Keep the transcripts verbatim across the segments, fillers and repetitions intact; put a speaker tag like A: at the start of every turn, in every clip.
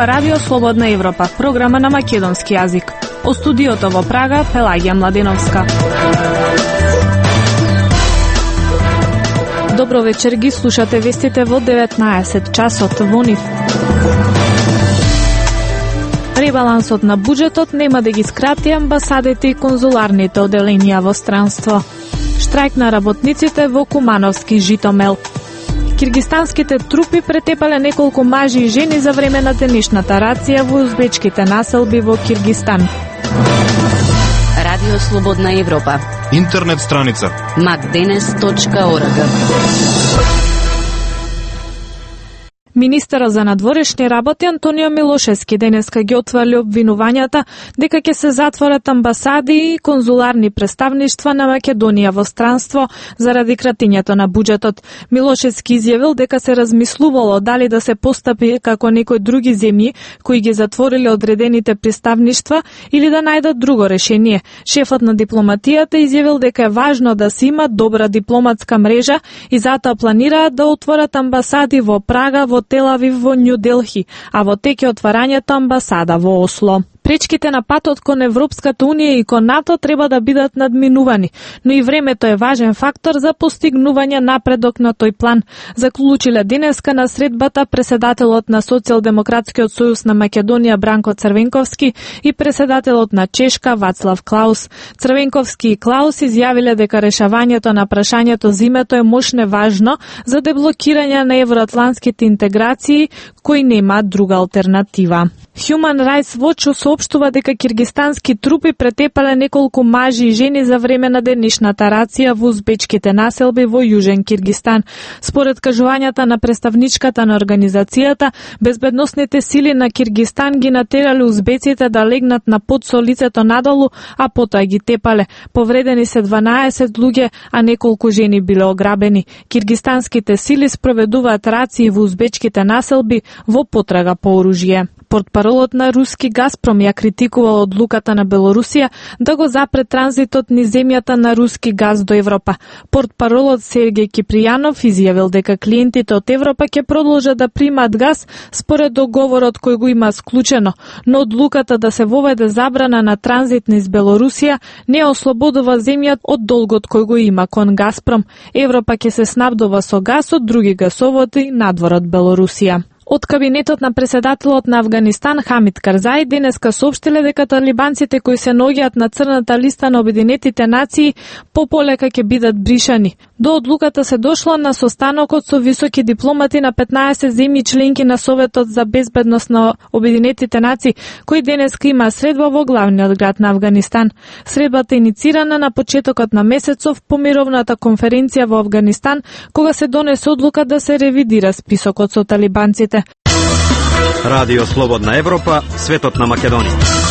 A: Ова Радио Слободна Европа, програма на македонски јазик. О студиото во Прага, Пелагија Младеновска. Добро вечер, ги слушате вестите во деветнаесет часот во НИФ. Ребалансот на буџетот нема да ги скрати амбасадите и конзуларните оделенија во странство. Штрајк на работниците во Кумановски Житомел. Киргистанските трупи претепале неколку мажи и жени за време на денешната рација во узбечките населби во Киргистан.
B: Радио Слободна Европа.
C: Интернет страница
B: макденес точка орг.
A: Министерот за надворешни работи Антонио Милошевски денеска ги отврли обвинувањата дека ќе се затворат амбасади и конзуларни представништва на Македонија во странство заради кратењето на буџетот. Милошевски изјавил дека се размислувало дали да се постапи како некои други земји кои ги затвориле одредените представништва или да најдат друго решение. Шефот на дипломатијата изјавил дека е важно да се има добра дипломатска мрежа и затоа планираат да отворат амбасади во Прага, во Тел Авив, во Њу Делхи, а во тек е отварањето амбасада во Осло. Пречките на патот кон Европската Унија и кон НАТО треба да бидат надминувани, но и времето е важен фактор за постигнување напредок на тој план, заклучиле денеска на средбата преседателот на Социјалдемократскиот сојуз на Македонија Бранко Црвенковски и преседателот на Чешка Вацлав Клаус. Црвенковски и Клаус изјавиле дека решавањето на прашањето за името е мошне важно за деблокирање на евроатлантските интеграции кои нема друга алтернатива. Human Rights Watch соопштува дека киргистански трупи претепале неколку мажи и жени за време на денешната рација во узбечките населби во Јужен Киргистан. Според кажувањата на представничката на организацијата, безбедносните сили на Киргистан ги натерале узбеците да легнат на под со лицето надолу, а потоа ги тепале. Повредени се дванаесет луѓе, а неколку жени биле ограбени. Киргистанските сили спроведуваат рации во узбечките населби во потрага по оружје. Портпаролот на руски Газпром ја критикувал одлуката на Белорусија да го запре транзитот низ земјата на руски газ до Европа. Портпаролот Сергеј Кипријанов изјавил дека клиентите од Европа ќе продолжат да примаат газ според договорот кој го има склучено, но одлуката да се воведе забрана на транзит низ Белорусија не ослободува земјата од долгот кој го има кон Газпром. Европа ќе се снабдува со газ од други гасоводи надвор од Белорусија. Од кабинетот на преседателот на Авганистан Хамид Карзаи денеска соопштиле дека талибанците кои се наоѓаат на црната листа на Обединетите нации пополека ќе бидат бришани. До одлуката се дошло на состанокот со високи дипломати на петнаесет земји членки на Советот за безбедност на Обединетите нации, кои денеска има средба во главниот град на Авганистан. Средбата е иницирана на почетокот на месецов по мировната конференција во Авганистан, кога се донесе одлука да се ревидира списокот со талибанците.
D: Радио Слободна Европа, светот на Македонија.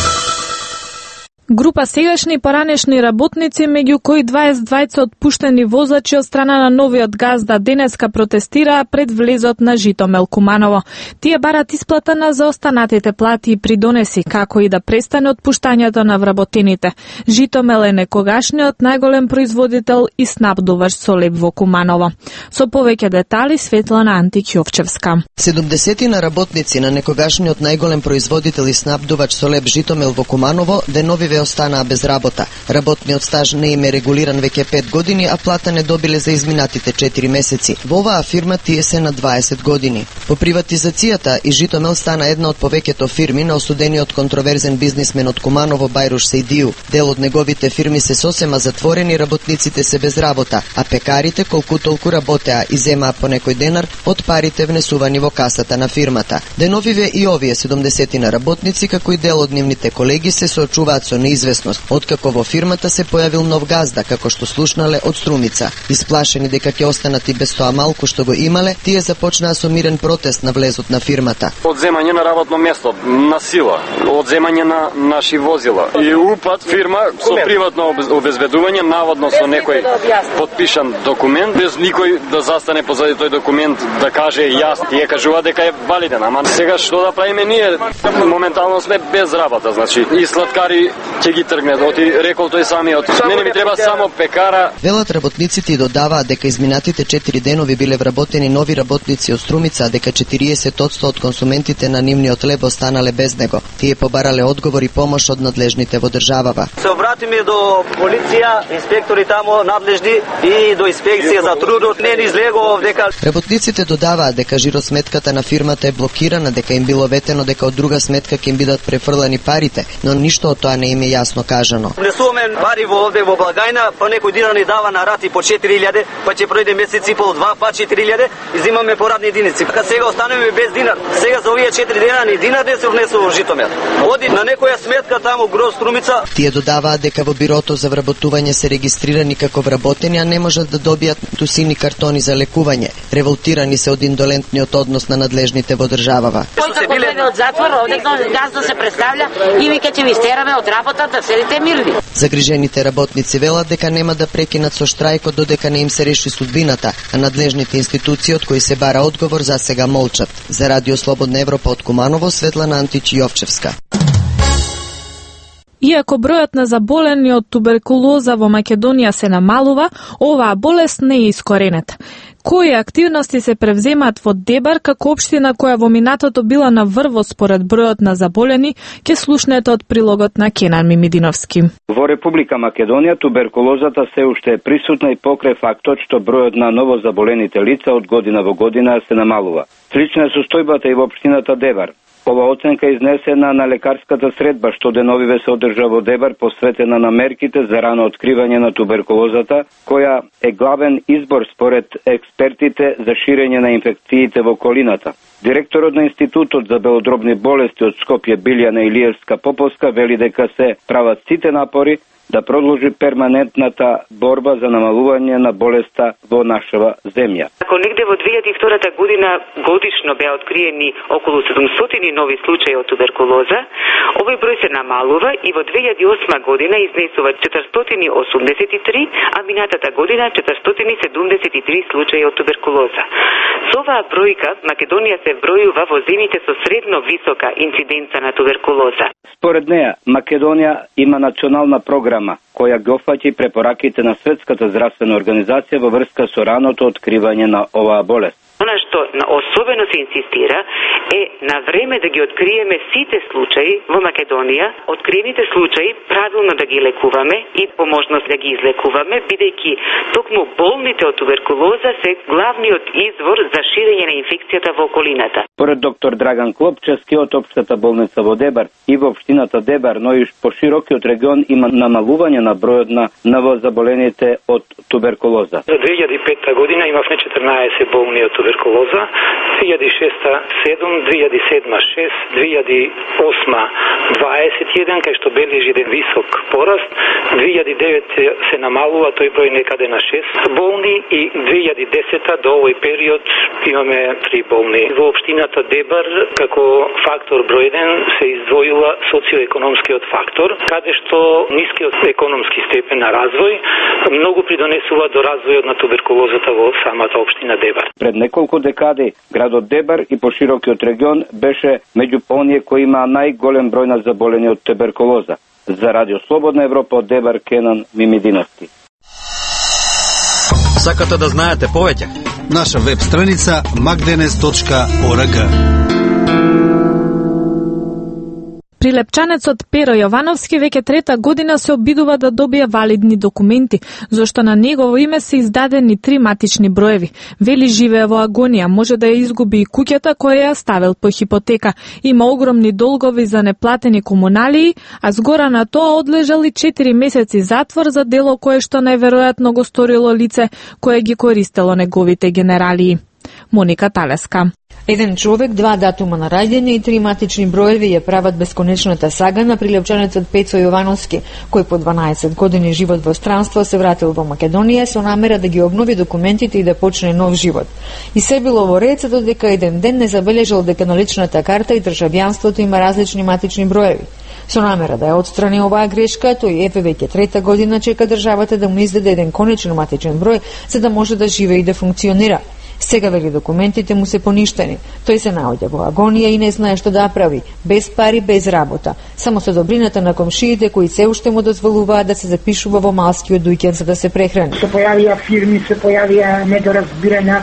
A: Група сегашни и поранешни работници, меѓу кои дваесет двајца отпуштени возачи од страна на новиот газда, денеска протестираа пред влезот на Житомел Куманово. Тие барат исплата на заостанатите плати и придонеси, како и да престане отпуштањето на вработените. Житомел е некогашниот најголем производител и снабдуваш со леб во Куманово. Со повеќе детали Светлана Антик-Јовчевска.
E: седумдесетина работници на некогашниот најголем производител и снабдувач со леб Житомел во Куманово деновиве останаа без работа. Работниот стаж не им е регулиран веќе пет години, а плата не добиле за изминатите четири месеци. Во оваа фирма тие се на дваесет години. По приватизацијата и Житомел стана една од повеќето фирми на осудениот контроверзен бизнисмен од Куманово Бајруш Сејдију. Дел од неговите фирми се сосема затворени, работниците се без работа, а пекарите колку толку работеа и земаа по некој денар од парите внесувани во касата на фирмата. Деновиве и овие седумдесетина работници, како и дел од нивните колеги, се соочуваат со неизвестност, откако во фирмата се појавил нов газда, како што слушнале од Струмица. Исплашени дека ќе останат и без тоа малку што го имале, тие започнаа со мирен протест на влезот на фирмата.
F: Одземање на работно место, на сила, одземање на наши возила и упат фирма со приватно обезбедување, наводно со некој подпишан документ, без никој да застане позади тој документ да каже јас. Тие кажува дека е валиден, ама сега што да правиме ние? Моментално сме без работа, значи и сладкари ќе ги тргне. Оти рекол тој самиот. Мене ми треба само пекара.
E: Велат работниците и додаваат дека изминатите четири денови биле вработени нови работници од Струмица, дека четириесет одсто од консументите на нивниот леб останале без него. Тие побарале одговор и помош од надлежните во државава.
C: Се обратиме до полиција, инспектори тамо надлежни и до инспекција за трудот. Не ни излегува дека
E: работниците додаваат дека жиросметката на фирмата е блокирана, дека им било ветено дека од друга сметка ќе им бидат префрлани парите, но ништо од тоа не им е јасно кажано.
C: Внесуваме пари во овде во благајна, па некој дина ни дава на рати по четири илјади, па ќе пројде месец и пол два, па четири илјади и земаме порадни единици. Кога сега останеме без динар, сега за овие четири дена ни динар не се внесува во Житомир. Оди на некоја сметка таму Гроз Струмица.
E: Тие додаваат дека во бирото за вработување се регистрирани како вработени, а не можат да добијат тусини картони за лекување. Револтирани се од индолентниот однос на надлежните во државава.
G: Кој како дојде од затвор, овде газно се представља и вика ќе ви стераме од работа да седите мирни.
E: Загрижените работници велат дека нема да прекинат со штрајкот додека не им се реши судбината, а надлежните институции од кои се бара одговор за сега молчат. За Радио Слободна Европа од Куманово, Светлана Антич Јовчевска.
A: Иако бројот на заболени од туберкулоза во Македонија се намалува, оваа болест не е искоренета. Кои активности се превземаат во Дебар како општина која во минатото била на врво според бројот на заболени, ќе слушнете од прилогот на Кенан Мимидиновски.
H: Во Република Македонија туберкулозата се уште е присутна и покрај фактот што бројот на новозаболените лица од година во година се намалува. Слична е состојбата и во општината Дебар. Ова оценка е изнесена на лекарската средба што деновиве се одржа во Дебар, посветена на мерките за рано откривање на туберкулозата, која е главен избор според експертите за ширење на инфекциите во околината. Директорот на Институтот за белодробни болести од Скопје Билјана Илиевска-Поповска вели дека се прават сите напори да продолжи перманентната борба за намалување на болеста во нашава земја.
I: Ако негде во две илјади и втора година годишно беа откриени околу седумстотини нови случаи од туберкулоза, овој број се намалува и во две илјади и осма година изнесува четиристотини и осумдесет и три, а минатата година четиристотини и седумдесет и три случаи од туберкулоза. Со оваа бројка Македонија се бројува во земјите со средно висока инциденца на туберкулоза.
H: Според неа, Македонија има национална програма која ги опфаќа препораките на Светската здравствена организација во врска со раното откривање на оваа болест.
I: Она што особено се инсистира е на време да ги откриеме сите случаи во Македонија, откриените случаи правилно да ги лекуваме и по можност да ги излекуваме, бидејќи токму болните од туберкулоза се главниот извор за ширење на инфекцијата во околината.
H: Поред доктор Драган Клопчевски од општата болница во Дебар и во општината Дебар, но и по широкиот регион има намалување на бројот на новозаболените од туберкулоза.
J: За две илјади и пета година имавме четрнаесет болни од туберкулоза, две илјади и шеста седум, две илјади и седма шест, две илјади и осма дваесет и еден, кај што бележи еден висок пораст, две илјади и девета се намалува тој број некаде на шест болни и две илјади и десета до овој период имаме три болни. Во општината Дебар како фактор број еден се издвојува социоекономскиот фактор, каде што нискиот економски степен на развој многу придонесува до развојот на туберкулозата во самата општина Дебар.
H: Пред неколку декади градот Дебар и поширокиот регион беше меѓу оние кои има најголем број на заболени од туберкулоза. За Радио Слободна Европа од Дебар, Кенан Мимидиновски.
D: Сакате да знаете повеќе?
K: Наша веб страница magdenes точка org.
A: Прилепчанецот Перо Јовановски веќе трета година се обидува да добие валидни документи, зашто на негово име се издадени три матични броеви. Вели живее во агонија, може да ја изгуби и куќата која ја ставил по хипотека. Има огромни долгови за неплатени комуналии, а згора на тоа одлежал и четири месеци затвор за дело кое што најверојатно го сторило лице кое ги користело неговите генералии. Моника Талеска.
L: Еден човек, два датума на раѓање и три матични броеви ја прават бесконечната сага на прилепчанецот Пецо Јовановски, кој по дванаесет години живот во странство се вратил во Македонија со намера да ги обнови документите и да почне нов живот. И се било во ред додека еден ден не забележал дека на личната карта и државјанството има различни матични броеви. Со намера да ја отстрани оваа грешка, тој еве веќе трета година чека државата да му издаде еден конечен матичен број за да може да живее и да функционира. Сега, вели, документите му се поништени. Тој се наоѓа во агонија и не знае што да прави, без пари, без работа, само со добрината на комшиите кои се уште му дозволуваат да се запишува во малскиот дуќан за да се прехрани.
M: Се појавија фирми, се појавија недоразбирања,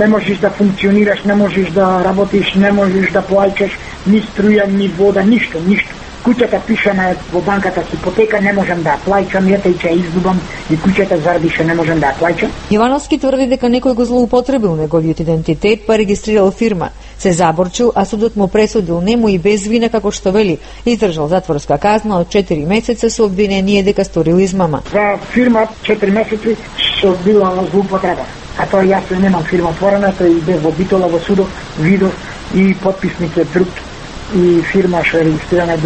M: не можеш да функционираш, не можеш да работиш, не можеш да плаќаш ни струја, ни вода, ништо, ништо. Куќата пишана во банката с ипотека, не можам да ја плаќам, јата и ќе изгубам, и куќата зарбише, не можам да ја плаќам.
L: Јовановски тврди дека некој го злоупотребил неговиот идентитет, па регистрирал фирма. Се заборчил, а судот му пресудил нему и без вина, како што вели, издржал затворска казна од четири месеца со обвинение дека сторил измама.
M: За фирма четири месеци се одбила злоупотреба. А тоа јас немам фирма отворена, тој бе во Битола, во судот, видов и подписник е друг и фирма што е регистрирана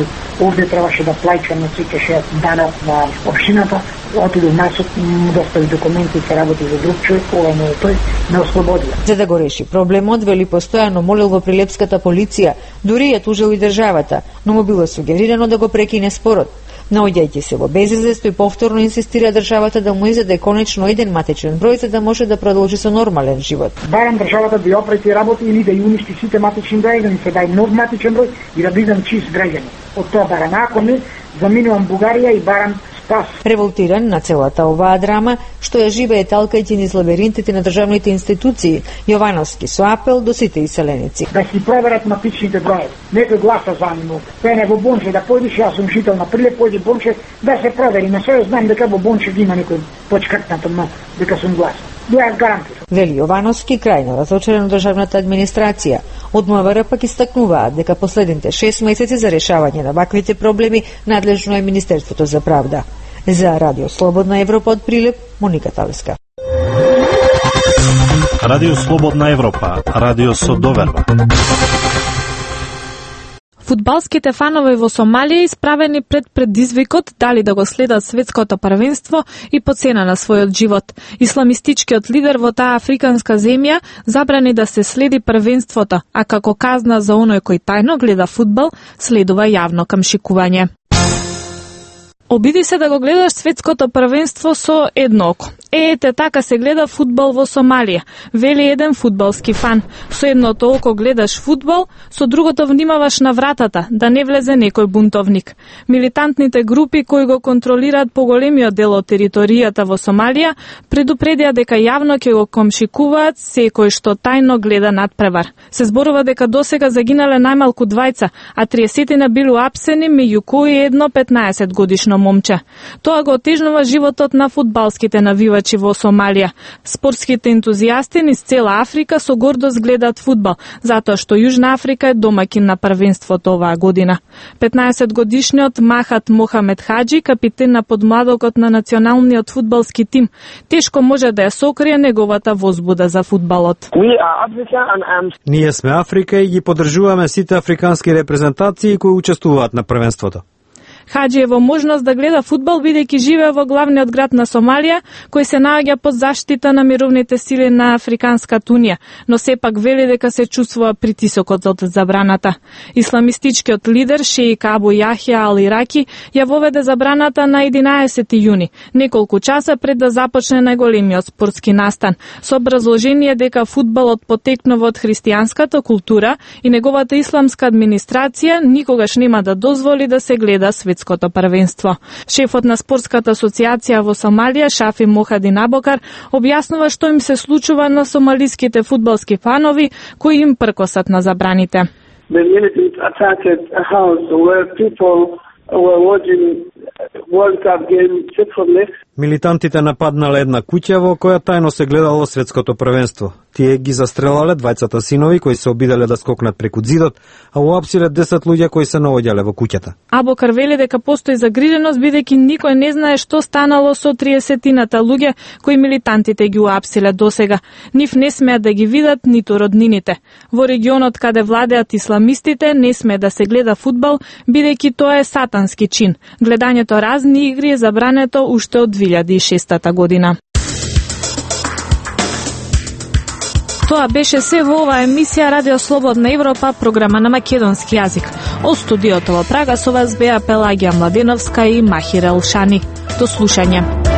M: овде требаше да плаќам на сите шест дана на општината. Отидов на суд, му достави документи и се работи за друг човек, ова не е тој, не ослободија.
L: За да го реши проблемот, вели, постојано молил во прилепската полиција, дури ја тужил и државата, но му било сугерирано да го прекине спорот. Наоѓајќи се во безизлез, тој повторно инсистира државата да му издаде конечно еден матичен број за да може да продолжи со нормален живот.
M: Барам државата да ја опрети работи или да ја уништи сите матични број, да ми се дај нов матичен број и да бидам чист граѓанин. Од тоа барам, ако не, заминувам Бугарија и барам спас.
L: Револтиран на целата оваа драма, што ја живее талкајќи низ лабиринтите на државните институции, Јовановски со апел до сите иселеници.
M: Да си проверат матичните броеви. Некој гласа за нему. Пене во Бонче да појдеш, јас сум жител на Прилеп, појди Бонче да се провери. На се знам дека во Бонче ги има некој почкртнато, но дека сум глас. Ја гарантирам.
L: Вели Јовановски, крајно разочарен државната администрација. Од МВР пак истакнуваат дека последните шест месеци за решавање на ваквите проблеми надлежно е Министерството за правда. За Радио Слободна Европа од Прилеп, Моника Талеска.
N: Радио Слободна Европа, радио со доверба.
A: Фудбалските фанови во Сомалија исправени пред предизвикот дали да го следат светското првенство и по цена на својот живот. Исламистичкиот лидер во таа африканска земја забрани да се следи првенството, а како казна за оној кој тајно гледа фудбал, следува јавно камшикување. Обиди се да го гледаш светското првенство со едно око. Е, ете така се гледа фудбал во Сомалија, вели еден фудбалски фан. Со едното око гледаш фудбал, со другото внимаваш на вратата, да не влезе некој бунтовник. Милитантните групи кои го контролираат поголемиот дел од територијата во Сомалија предупредија дека јавно ќе го комшикуваат секој што тајно гледа надпревар. Се зборува дека досега загинале најмалку двајца, а триесетина биле уапсени, меѓу кои едно петнаесет годишно момче. Тоа го отежнува животот на фудбалските навивачи во Сомалија. Спортските ентузијасти низ цела Африка со гордост гледаат фудбал, затоа што Јужна Африка е домаќин на првенството оваа година. петнаесет годишниот Махат Мохамед Хаджи, капитен на подмладокот на националниот фудбалски тим, тешко може да ја сокрие неговата возбуда за фудбалот.
D: Ние сме Африка и ги поддржуваме сите африкански репрезентации кои учествуваат на првенството.
A: Хаджи е во можност да гледа фудбал бидејќи живее во главниот град на Сомалија, кој се наоѓа под заштита на мировните сили на Африканската унија, но сепак вели дека се чувствува притисокот од забраната. Исламистичкиот лидер шеик Абу Јахја Ал Ираки ја воведе забраната на единаесети јуни, неколку часа пред да започне најголемиот спортски настан, со образложение дека фудбалот потекнува од христијанската култура и неговата исламска администрација никогаш нема да дозволи да се гледа светското првенство. Шефот на спортската асоциација во Сомалија, Шафи Мохадин Абокар, објаснува што им се случува на сомалиските фудбалски фанови кои им пркосат на забраните.
D: Милитантите нападнале една куќа во која тајно се гледало светското првенство. Тие ги застрелале двајцата синови кои се обиделе да скокнат преку зидот, а уапсиле десет луѓе кои се наоѓале во куќата.
A: Абокар вели дека постои загриженост бидејќи никој не знае што станало со триесетината луѓе кои милитантите ги уапсиле досега. Нив не смеат да ги видат ниту роднините. Во регионот каде владеат исламистите не смее да се гледа фудбал бидејќи тоа е сатански чин. Гледањето разни игри е забрането уште од две илјади и шеста година. Тоа беше се во оваа емисија Радио Слободна Европа, програма на македонски јазик. Од студиото во Прага со вас беа Пелагија Младеновска и Махир Елшани. До слушање.